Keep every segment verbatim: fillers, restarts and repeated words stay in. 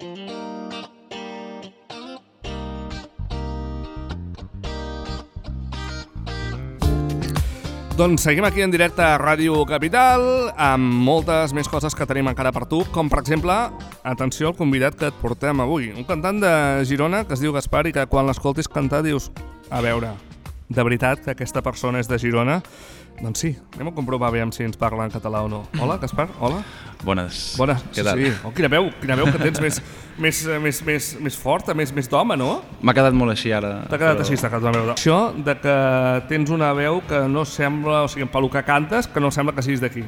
Doncs seguim aquí en directe a Ràdio Capital amb moltes més coses que tenim encara per tu, com per exemple, atenció al convidat que et portem avui, un cantant de Girona que es diu Gaspar i que quan l'escoltis cantar dius, a veure, de veritat que aquesta persona és de Girona? Doncs sí, anem a comprovar aviam si ens parla en català o no. Hola, Gaspar, hola. Bones. Bones, Què sí, tal? sí. Oh, quina veu, quina veu que tens més, més, més, més, més forta, més, més d'home, no? M'ha quedat molt així ara. T'ha quedat però... així, t'ha quedat una veu. Això de que tens una veu que no sembla, o sigui, pel que cantes, que no sembla que siguis d'aquí.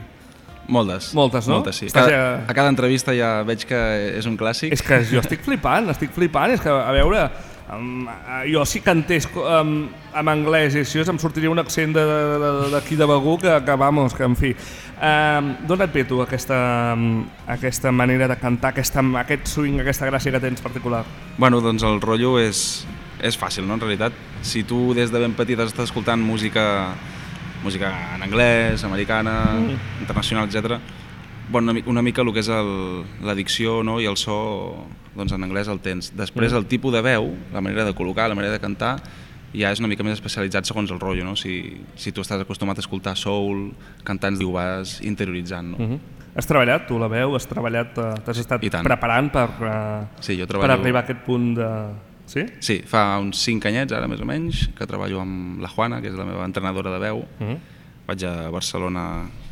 Moltes. Moltes, no? Moltes, sí. Estàs Cada, ja... A cada entrevista ja veig que és un clàssic. És que jo estic flipant, estic flipant, és que, a veure, um, jo si cantés um, en anglès i així em sortiria un accent d'aquí de, de, de Begur que, que, vamos, que en fi. Um, D'on et ve tu aquesta, um, aquesta manera de cantar, aquesta, aquest swing, aquesta gràcia que tens particular? Bueno, doncs el rotllo és, és fàcil, no? En realitat, si tu des de ben petit estàs escoltant música, música en anglès, americana, mm. internacional, etcètera, bueno, una, una mica el que és la dicció, no? I el so, doncs en anglès el tens. Després mm. el tipus de veu, la manera de col·locar, la manera de cantar, ja és una mica més especialitzat segons el rotllo, no? Si, si tu estàs acostumat a escoltar soul, cantants, ho vas interioritzant, no? Mm-hmm. Has treballat tu la veu? Has treballat, t'has estat preparant per, uh, sí, jo treballo... per arribar a aquest punt de... Sí? Sí, fa uns cinc anyets, ara més o menys, que treballo amb la Juana, que és la meva entrenadora de veu. Mm-hmm. Vaig a Barcelona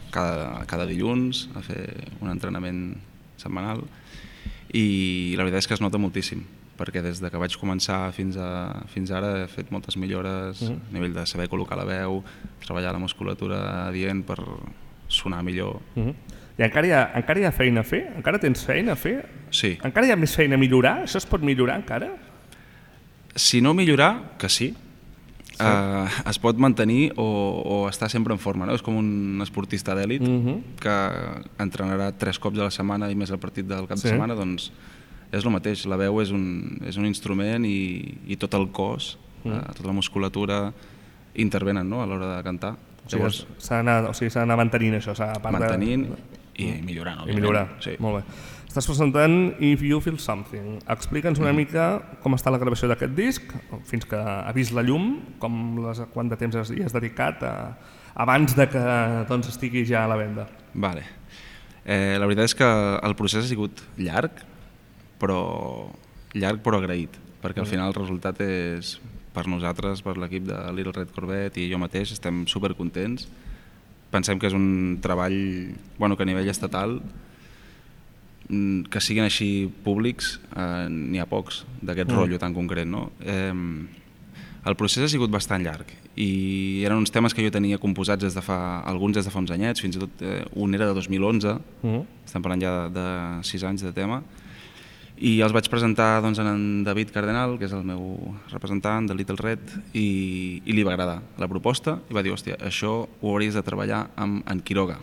cada, cada dilluns a fer un entrenament setmanal i la veritat és que es nota moltíssim, perquè des de que vaig començar fins, a, fins ara he fet moltes millores uh-huh. a nivell de saber col·locar la veu, treballar la musculatura adient per sonar millor. Uh-huh. I encara hi, ha, encara hi ha feina a fer? Encara tens feina a fer? Sí. Encara hi ha més feina a millorar? Això es pot millorar encara? Si no millorar, que sí. sí. Uh, es pot mantenir o, o estar sempre en forma, no? És com un esportista d'èlit uh-huh. que entrenarà tres cops a la setmana i més el partit del cap sí. de setmana, doncs és el mateix, la veu és un, és un instrument i, i tot el cos, mm. eh, tota la musculatura intervenen, no? A l'hora de cantar. O sigui, Llavors, s'ha d'anar o sigui, d'anar mantenint això, s'ha mantenint de... i millorant, òbviament. I millorar, sí. Molt bé. Estàs presentant If You Feel Something. Explica'ns una mm. mica com està la gravació d'aquest disc, fins que ha vist la llum, com les, quant de temps hi has dedicat a, abans de que doncs, estigui ja a la venda. Vale. Eh, la veritat és que el procés ha sigut llarg, però llarg però agraït, perquè al final el resultat és, per nosaltres, per l'equip de Little Red Corvette i jo mateix, estem supercontents. Pensem que és un treball bueno, que a nivell estatal, que siguin així públics, eh, n'hi ha pocs d'aquest mm. rotllo tan concret. No? Eh, el procés ha sigut bastant llarg i eren uns temes que jo tenia composats des de fa, alguns des de fa uns anyets, fins i tot eh, un era de dos mil onze, mm. estem parlant ja de, de sis anys de tema, i els vaig presentar doncs, a en David Cardenal, que és el meu representant de Little Red, i, i li va agradar la proposta i va dir, hòstia, això ho hauries de treballar amb en Quiroga,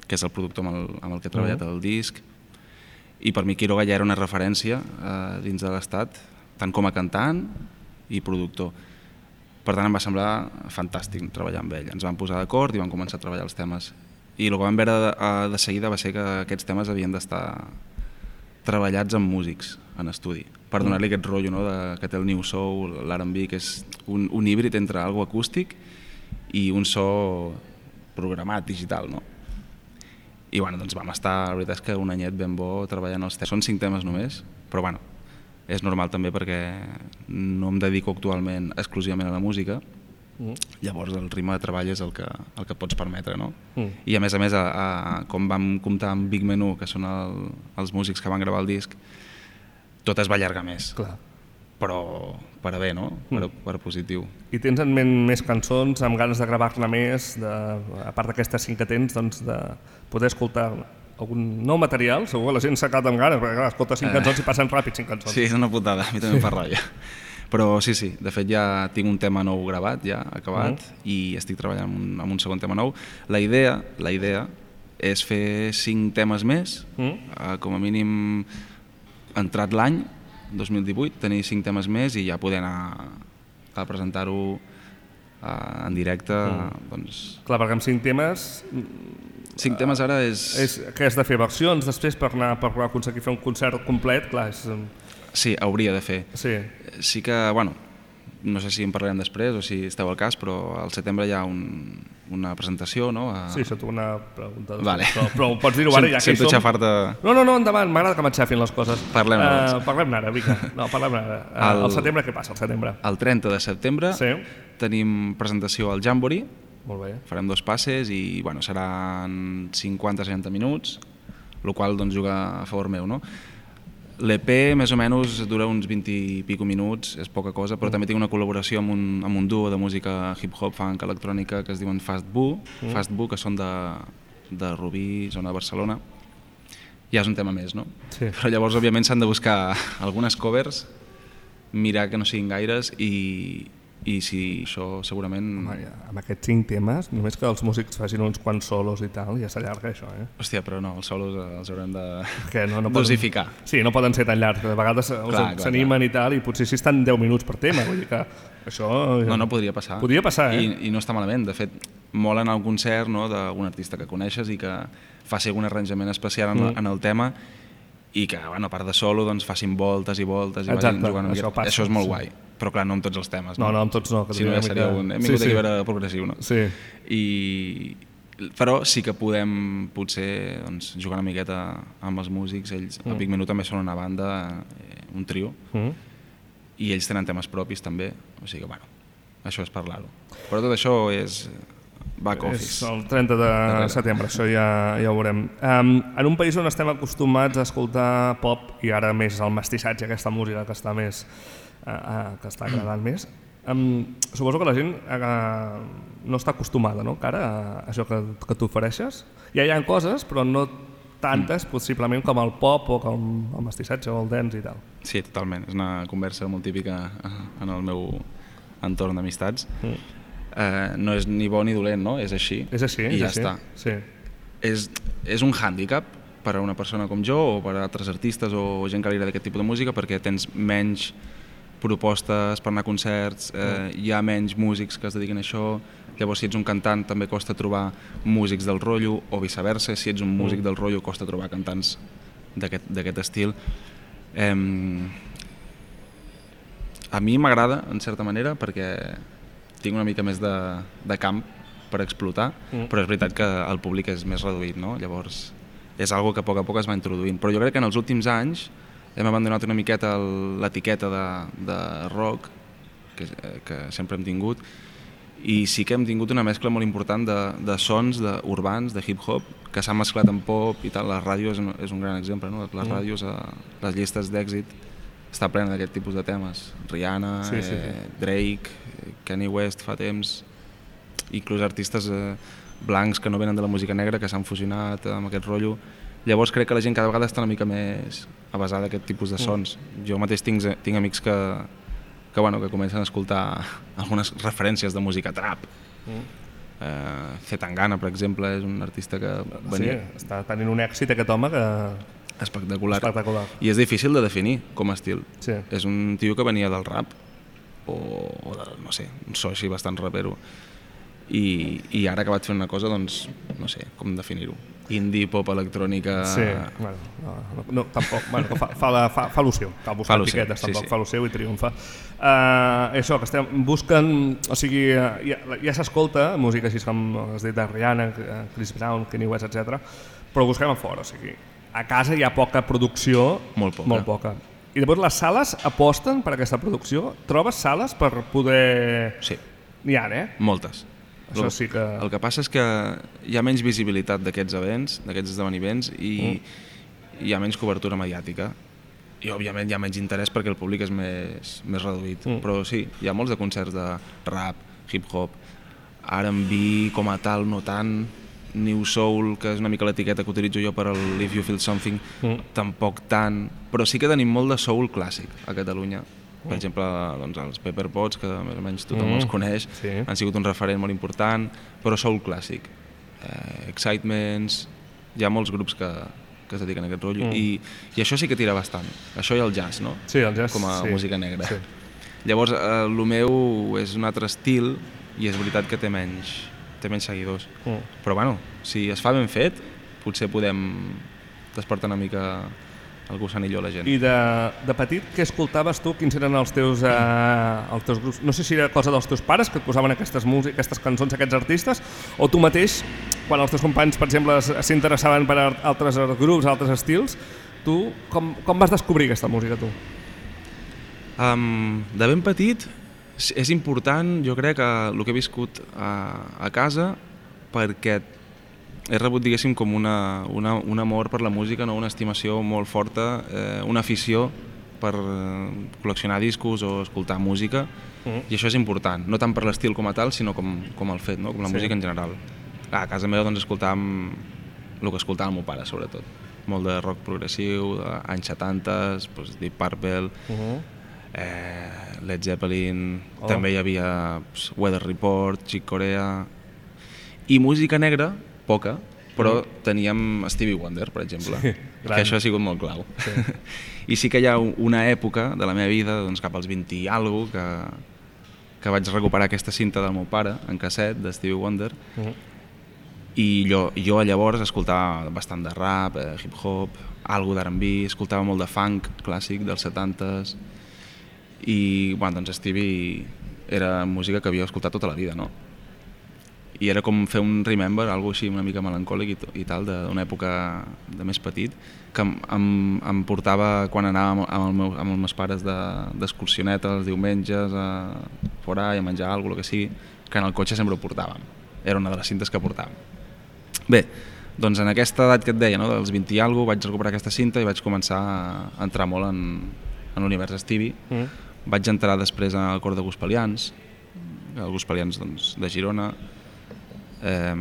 que és el productor amb el, amb el que he treballat uh-huh. el disc, i per mi Quiroga ja era una referència eh, dins de l'estat, tant com a cantant i productor. Per tant, em va semblar fantàstic treballar amb ell. Ens vam posar d'acord i vam començar a treballar els temes. I el que vam veure de, de seguida va ser que aquests temes havien d'estar treballats amb músics en estudi, per donar-li aquest rotllo, no? de, que té el New Soul, l'R and B, que és un, un híbrid entre algo acústic i un so programat, digital. No? I bueno, doncs vam estar, la veritat és que un anyet ben bo treballant els temes. Són cinc temes només, però bueno, és normal també perquè no em dedico actualment exclusivament a la música, mm. llavors el ritme de treball és el que, el que pots permetre, no? Mm. I a més a més, a, a, com vam comptar amb Big Menu, que són el, els músics que van gravar el disc, tot es va allargar més. Clar. Però per a bé, no? Per, mm. per positiu. I tens en ment més cançons, amb ganes de gravar-ne més, de, a part d'aquestes cinc que tens, doncs de poder escoltar algun nou material? Segur que la gent s'ha quedat amb ganes, perquè clar, escolta cinc eh. cançons i passen ràpid cinc cançons. Sí, és una putada, a mi també em fa ràbia. Però sí, sí, de fet ja tinc un tema nou gravat, ja acabat, mm. i estic treballant en un, en un segon tema nou. La idea, la idea és fer cinc temes més, mm. eh, com a mínim entrat l'any, dos mil divuit, tenir cinc temes més i ja poder anar a presentar-ho eh, en directe. Mm. Doncs... Clar, perquè amb cinc temes Cinc temes ara és... és que has de fer versions després per anar per aconseguir fer un concert complet, clar, és... Sí, hauria de fer. Sí. Sí que, bueno, no sé si en parlarem després o si esteu al cas, però al setembre hi ha un, una presentació, no? A... Sí, això t'ho una pregunta. Vale. Però, però pots dir-ho ara, ja que hi som. Xafar-te... No, no, no, endavant, m'agrada que m'enxafin les coses. Parlem-ne. Uh, parlem-ne ara, vinga. No, parlem-ne ara. Uh, el... el setembre, què passa, el setembre? El trenta de setembre sí. tenim presentació al Jamboree. Molt bé. Farem dos passes i, bueno, seran cinquanta a seixanta minuts, el qual doncs, juga a favor meu, no? L'E P més o menys dura uns vint i pico minuts, és poca cosa, però mm. també tinc una col·laboració amb un, amb un duo de música hip-hop, funk, electrònica, que es diuen Fast Boo, mm. Fast Boo, que són de, de Rubí, zona de Barcelona. Ja és un tema més, no? Sí. Però llavors, òbviament, s'han de buscar algunes covers, mirar que no siguin gaires i, i si això segurament... Home, ja, amb aquests cinc temes, només que els músics facin uns quants solos i tal, ja s'allarga això, eh? Hòstia, però no, els solos els haurem de que no, no dosificar. Poden... Sí, no poden ser tan llargs, de vegades s'animen i tal, i potser si estan deu minuts per tema, vull dir que això... No, no, podria passar. Podria passar, eh? I, i no està malament, de fet, mola anar a un concert, no?, d'algun artista que coneixes i que faci algun arranjament especial en, mm. en el tema i que, bueno, a part de solo, doncs facin voltes i voltes i exacte, vagin jugant. Això, passa, això és molt sí. guai, però clar, no amb tots els temes. No, no, no amb tots no. Que si no ja seria un... Hem vingut sí, sí. aquí a veure progressiu, no? Sí. I... Però sí que podem, potser, doncs, jugar una miqueta amb els músics. Ells, mm. a Big Menú també són una banda, eh, un trio, mm. i ells tenen temes propis també, o sigui que, bueno, això és parlar-ho. Però tot això és... back office. És el trenta de setembre, això ja, ja ho veurem. Um, en un país on estem acostumats a escoltar pop i ara més el mestissatge, aquesta música que està més uh, uh, que està agradant més, um, suposo que la gent uh, no està acostumada, no, cara, a això que, que tu ofereixes. Ja hi ha coses, però no tantes, possiblement, com el pop o com el mestissatge o el dance i tal. Sí, totalment. És una conversa molt típica en el meu entorn d'amistats. Mm. Uh, no és ni bo ni dolent, no? És així. És així, i és ja així. està. Sí. És, és un hàndicap per a una persona com jo o per a altres artistes o gent que li agrada aquest tipus de música perquè tens menys propostes per anar a concerts, eh, mm. hi ha menys músics que es dediquen a això, llavors si ets un cantant també costa trobar músics del rotllo o viceversa, si ets un músic mm. del rotllo costa trobar cantants d'aquest estil. Eh, a mi m'agrada, en certa manera, perquè tinc una mica més de, de camp per explotar, mm. però és veritat que el públic és més reduït, no? Llavors és algo que a poc a poc es va introduint. Però jo crec que en els últims anys hem abandonat una miqueta l'etiqueta de, de rock, que, que sempre hem tingut, i sí que hem tingut una mescla molt important de, de sons de, urbans, de hip-hop, que s'han mesclat amb pop i tal. La ràdio és un, és un gran exemple, no? Les mm. ràdios, a les llistes d'èxit, està plena d'aquest tipus de temes. Rihanna, sí, sí, sí. Eh, Drake, Kanye West fa temps, inclús artistes eh, blancs que no venen de la música negra que s'han fusionat amb aquest rotllo. Llavors crec que la gent cada vegada està una mica més avasada d'aquest tipus de sons. Mm. Jo mateix tinc, tinc amics que, que, bueno, que comencen a escoltar algunes referències de música trap. Mm. Eh, Zetangana, per exemple, és un artista que venia... Sí, està tenint un èxit aquest home que... Espectacular. Espectacular. I és difícil de definir com a estil. Sí. És un tio que venia del rap, o, o de, no sé, un so així bastant rapero. I, i ara ha acabat fent una cosa, doncs, no sé, com definir-ho. Indie, pop, electrònica... Sí, bueno, no, no, no tampoc, bueno, fa, fa, la, fa, fa l'opció, cal buscar etiquetes, tampoc sí, sí. fa l'opció i triomfa. Uh, això, que estem buscant, o sigui, ja, ja s'escolta música així com has dit de Rihanna, Chris Brown, Kanye West, etcètera, però busquem a fora, o sigui, a casa hi ha poca producció, molt poca. Molt poca. I llavors les sales aposten per aquesta producció? Trobes sales per poder... Sí. N'hi ha, eh? Moltes. Això sí que... El que passa és que hi ha menys visibilitat d'aquests events, d'aquests esdeveniments, i mm. hi ha menys cobertura mediàtica. I, òbviament, hi ha menys interès perquè el públic és més, més reduït. Mm. Però sí, hi ha molts de concerts de rap, hip-hop, R and B com a tal, no tant, New Soul, que és una mica l'etiqueta que utilitzo jo per al If You Feel Something, mm. tampoc tant, però sí que tenim molt de soul clàssic a Catalunya. Per mm. exemple, doncs, els Pepper Potts, que més o menys tothom mm. els coneix, sí. han sigut un referent molt important, però soul clàssic. Eh, Excitements, hi ha molts grups que, que es dediquen a aquest rotllo, mm. i, i això sí que tira bastant. Això i el jazz, no? Sí, el jazz, com a sí. música negra. Sí. Llavors, el meu és un altre estil, i és veritat que té menys, té menys seguidors. Mm. Però bueno, si es fa ben fet, potser podem despertar una mica el gusanillo a la gent. I de, de petit, què escoltaves tu? Quins eren els teus, eh, els teus grups? No sé si era cosa dels teus pares que et posaven aquestes, músiques, aquestes cançons, aquests artistes, o tu mateix, quan els teus companys, per exemple, s'interessaven per altres grups, altres estils, tu com, com vas descobrir aquesta música, tu? Um, de ben petit és important, jo crec, que el que he viscut a, a casa, perquè he rebut, diguéssim, com una, una, un amor per la música, no? Una estimació molt forta, eh, una afició per eh, col·leccionar discos o escoltar música, mm. i això és important, no tant per l'estil com a tal, sinó com, com el fet, no? Com la sí. música en general. A casa meva doncs, escoltàvem el que escoltava el meu pare, sobretot. Molt de rock progressiu, anys setanta, doncs, Deep Purple, uh -huh. eh, Led Zeppelin, oh. també hi havia pues, Weather Report, Chick Corea, i música negra, poca, però mm. teníem Stevie Wonder, per exemple, sí, que això ha sigut molt clau. Sí. I sí que hi ha una època de la meva vida, doncs cap als vint i alguna cosa, que, que vaig recuperar aquesta cinta del meu pare, en casset, de Stevie Wonder, mm. i jo, jo llavors escoltava bastant de rap, eh, hip-hop, algo d'R and B, escoltava molt de funk clàssic dels setantes, i bueno, doncs Stevie era música que havia escoltat tota la vida, no? I era com fer un remember, algo així una mica melancòlic i, i tal, d'una època de més petit, que em, em, em portava quan anàvem amb, el meu, amb els meus pares d'excursioneta de, els diumenges a fora i a menjar alguna cosa, que sigui, que en el cotxe sempre ho portàvem. Era una de les cintes que portàvem. Bé, doncs en aquesta edat que et deia, no, dels vint i alguna cosa, vaig recuperar aquesta cinta i vaig començar a entrar molt en, en l'univers Stevie. Mm. Vaig entrar després al cor de Gospelians, el Gospelians doncs, de Girona. Eh,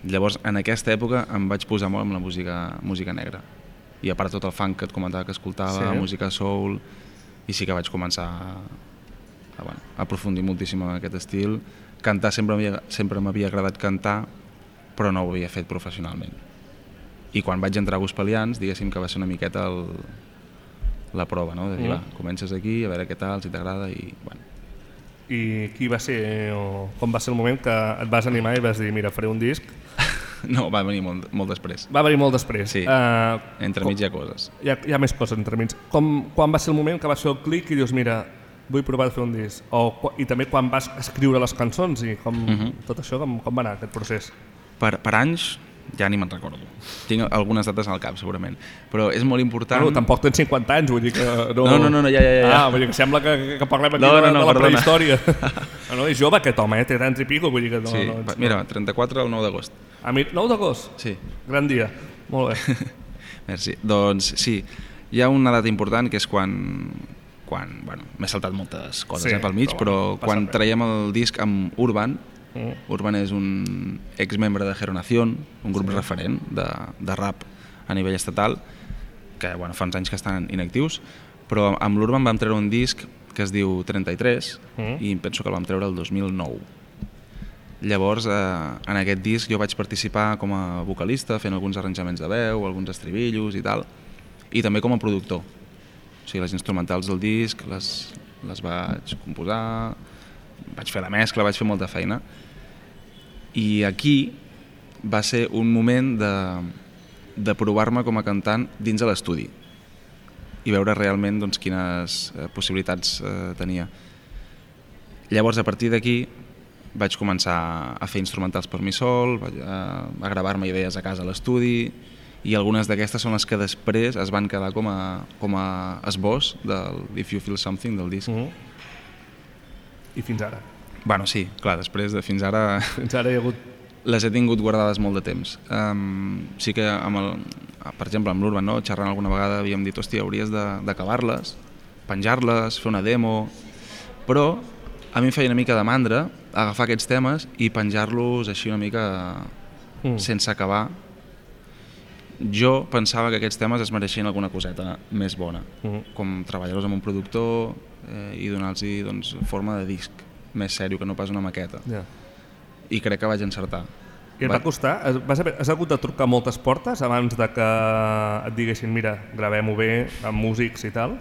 llavors en aquesta època em vaig posar molt amb la música, música negra, i a part tot el funk que et comentava que escoltava, sí. música soul, i sí que vaig començar a, a, bueno, a aprofundir moltíssim en aquest estil. Cantar sempre, sempre m'havia agradat cantar, però no ho havia fet professionalment, i quan vaig entrar a Gospelians, diguéssim que va ser una miqueta el, la prova, no? De dir, mm. va, comences aquí, a veure què tal, si t'agrada, i bueno. I qui va ser, o com va ser el moment que et vas animar i vas dir, mira, faré un disc? No, va venir molt, molt després. Va venir molt després. Sí, uh, entremig hi ha coses. Hi ha, hi ha més coses entremig. Com, quan va ser el moment que vas fer el clic i dius, mira, vull provar de fer un disc? O, I també quan vas escriure les cançons i com, uh -huh. tot això, com, com va anar aquest procés? Per, per anys, ja ni me'n recordo. Tinc algunes dates al cap, segurament. Però és molt important... Bueno, tampoc tens cinquanta anys, vull dir que... No, no, no, no, no ja, ja, ja. Ah, vull dir que sembla que, que parlem aquí no, no, no, de, de la perdona. prehistòria. No, és jove aquest home, eh? Té trenta i pico, vull dir que... No, sí, no, ets, mira, trenta-quatre el nou d'agost. A mi, nou d'agost? Sí. Gran dia, molt bé. Merci. Doncs sí, hi ha una data important que és quan... quan bueno, m'he saltat moltes coses sí, eh, pel mig, però, però quan traiem el disc amb Urban. Mm. Urban és un exmembre de Geronación, un grup sí. referent de, de rap a nivell estatal, que bueno, fa uns anys que estan inactius, però amb l'Urban vam treure un disc que es diu trenta-tres mm. i penso que el vam treure el dos mil nou. Llavors, eh, en aquest disc jo vaig participar com a vocalista, fent alguns arranjaments de veu, alguns estribillos i tal, i també com a productor. O sigui, les instrumentals del disc les, les vaig composar, vaig fer la mescla, vaig fer molta feina. I aquí va ser un moment de, de provar-me com a cantant dins de l'estudi i veure realment doncs, quines eh, possibilitats eh, tenia. Llavors, a partir d'aquí, vaig començar a fer instrumentals per mi sol, vaig a, a gravar-me idees a casa a l'estudi, i algunes d'aquestes són les que després es van quedar com a, com a esbós del If You Feel Something, del disc. Uh-huh. I fins ara? Bueno, sí, clar, després de fins ara... Fins ara hi ha hagut... Les he tingut guardades molt de temps. Um, sí que, amb el, per exemple, amb l'Urban, no? Xerrant alguna vegada havíem dit, hòstia, hauries d'acabar-les, penjar-les, fer una demo, però a mi em feia una mica de mandra agafar aquests temes i penjar-los així una mica mm. sense acabar. Jo pensava que aquests temes es mereixien alguna coseta més bona, mm. com treballar-los amb un productor eh, i donar-los doncs, forma de disc més sèrio que no pas una maqueta. Yeah. I crec que vaig encertar. I et va, va costar? Vas haver, has hagut de trucar moltes portes abans de que et diguessin, mira, gravem-ho bé amb músics i tal?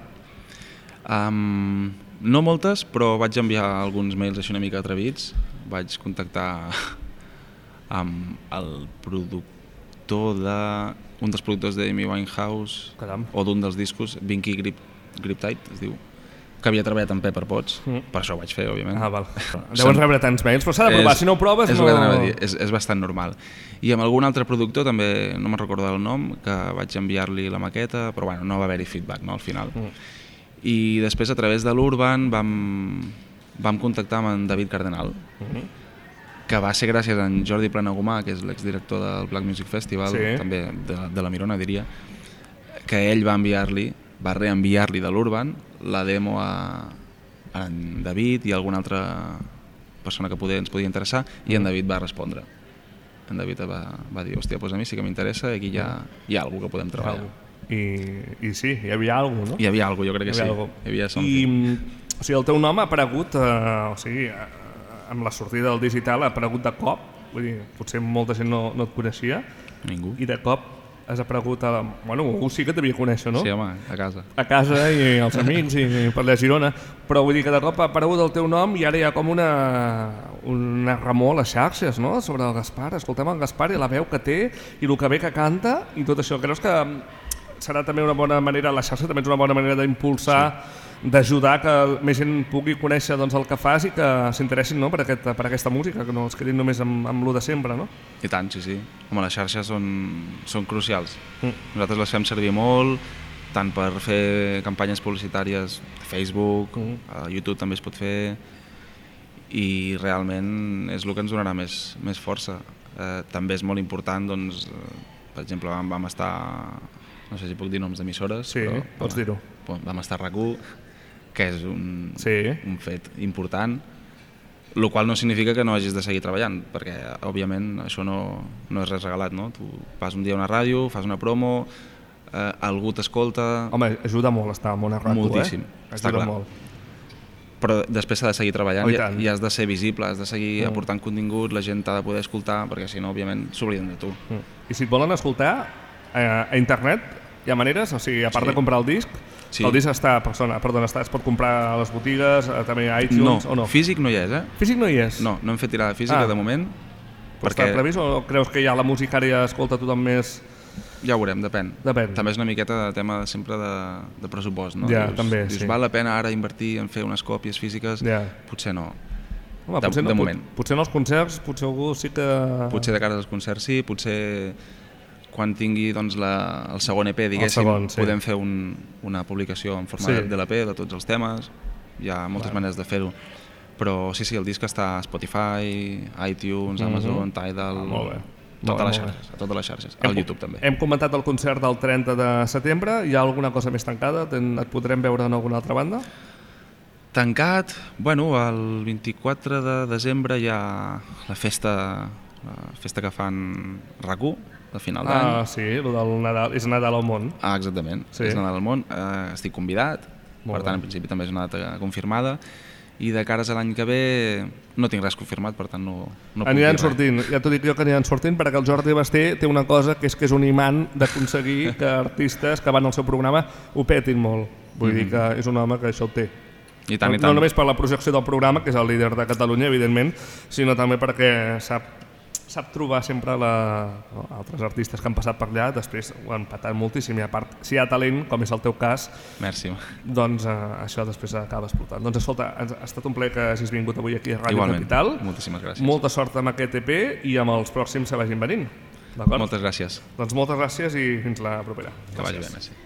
Um, no moltes, però vaig enviar alguns mails així una mica atrevits. Vaig contactar amb el productor de... un dels productors d'Amy Winehouse, Caram. o d'un dels discos, Vinky Grip, Griptide, es diu, que havia treballat amb Pepper Potts, mm. per això ho vaig fer, òbviament. Ah, val. Deuen rebre tants mails, però s'ha de provar, és, si no ho proves és no... El dir, és, és bastant normal. I amb algun altre productor, també no me'n recordo el nom, que vaig enviar-li la maqueta, però bueno, no va haver-hi feedback, no, al final. Mm. I després, a través de l'Urban, vam, vam contactar amb en David Cardenal, mm-hmm. que va ser gràcies a en Jordi Planagumà, que és l'exdirector del Black Music Festival, sí. també de, de la Mirona, diria, que ell va enviar-li, va reenviar-li de l'Urban la demo a, a en David i a alguna altra persona que poder, ens podia interessar, i en David va respondre. En David va, va dir, hòstia, doncs a mi sí que m'interessa, aquí hi ha, hi ha alguna que podem treballar. I, I sí, hi havia alguna cosa, no? Hi havia alguna cosa, jo crec que sí. Algo. Hi havia I, o sigui, el teu nom ha aparegut, eh, o sigui, amb la sortida del digital ha aparegut de cop, vull dir, potser molta gent no, no et coneixia. Ningú. I de cop has aparegut a... Bueno, algú sí que et devia conèixer, no? Sí, home, a casa. A casa i els amics i per la Girona, però vull dir que de cop ha aparegut el teu nom i ara hi ha com una, una remor a les xarxes, no?, sobre el Gaspar. Escoltem el Gaspar i la veu que té i el que bé que canta i tot això. Creus que serà també una bona manera, la xarxa també és una bona manera d'impulsar, sí. d'ajudar que més gent pugui conèixer doncs, el que fas i que s'interessin, no?, per, aquest, per aquesta música, que no es quedin només amb, amb lo de sempre, no? I tant, sí, sí. Home, les xarxes són, són crucials. Mm. Nosaltres les fem servir molt, tant per fer campanyes publicitàries a Facebook, mm. a YouTube també es pot fer, i realment és el que ens donarà més, més força. Eh, també és molt important, doncs, per exemple, vam, vam estar, no sé si puc dir noms d'emissores, sí, però pots dir-ho. Vam estar a RAC u, que és un, sí. un fet important, el qual no significa que no hagis de seguir treballant, perquè òbviament això no, no és res regalat, no? Tu vas un dia a una ràdio, fas una promo, eh, algú t'escolta... Home, ajuda molt estar en una ràdio, moltíssim, eh? Està ajuda clar. Molt. Però després s'ha de seguir treballant, oh, i, i, i has de ser visible, has de seguir mm. aportant contingut, la gent t'ha de poder escoltar, perquè si no, òbviament, s'obliden de tu. Mm. I si et volen escoltar, eh, a internet hi ha maneres, o sigui, a part sí. de comprar el disc, sí. el disc està, persona, perdona, està, es pot comprar a les botigues, també a iTunes, no, o no? Físic no hi és, eh? Físic no hi és? No, no hem fet tirada física ah. de moment. Però perquè... està previst o creus que ja la música ara ja escolta tothom més... Ja ho veurem, depèn. depèn. També és una miqueta de tema sempre de, de pressupost, no? Ja, dius, també, dius, sí. val la pena ara invertir en fer unes còpies físiques? Ja. Potser no. Home, de, potser no, de moment. Potser en els concerts, potser algú sí que... Potser de cara als concerts sí, potser quan tingui doncs, la, el segon E P, diguéssim, segon, sí. podem fer un, una publicació en forma sí. de l'E P de tots els temes, hi ha moltes vale. maneres de fer-ho. Però sí, sí, el disc està a Spotify, iTunes, mm-hmm. Amazon, Tidal... Ah, molt bé. Totes les xarxes, a totes les xarxes, al YouTube també. Hem comentat el concert del trenta de setembre, hi ha alguna cosa més tancada? Et podrem veure en alguna altra banda? Tancat, bueno, el vint-i-quatre de desembre hi ha la festa, la festa que fan RAC u, de final d'any. Ah, sí, el del Nadal, és Nadal al món. Ah, exactament, sí. és Nadal al món, eh, estic convidat, Molt per tant, bé. en principi també és una data confirmada. I de cares a l'any que ve no tinc res confirmat, per tant no, no puc aniran dir sortint, ja t'ho dic jo que aniran sortint, perquè el Jordi Basté té una cosa que és que és un imant d'aconseguir que artistes que van al seu programa ho petin molt. Vull mm-hmm. dir que és un home que això ho té. I tant, no, i tant. no només per la projecció del programa, que és el líder de Catalunya, evidentment, sinó també perquè sap, sap trobar sempre la, no, altres artistes que han passat per allà, després ho han patat moltíssim, i a part, si hi ha talent, com és el teu cas, Merci. doncs eh, això després acaba explotant. Doncs escolta, ha estat un plaer que hagis vingut avui aquí a Ràdio Igualment. Capital. Moltíssimes gràcies. Molta sort amb aquest E P i amb els pròxims que vagin venint. Moltes gràcies. Doncs moltes gràcies i fins la propera. Que vagi bé, merci.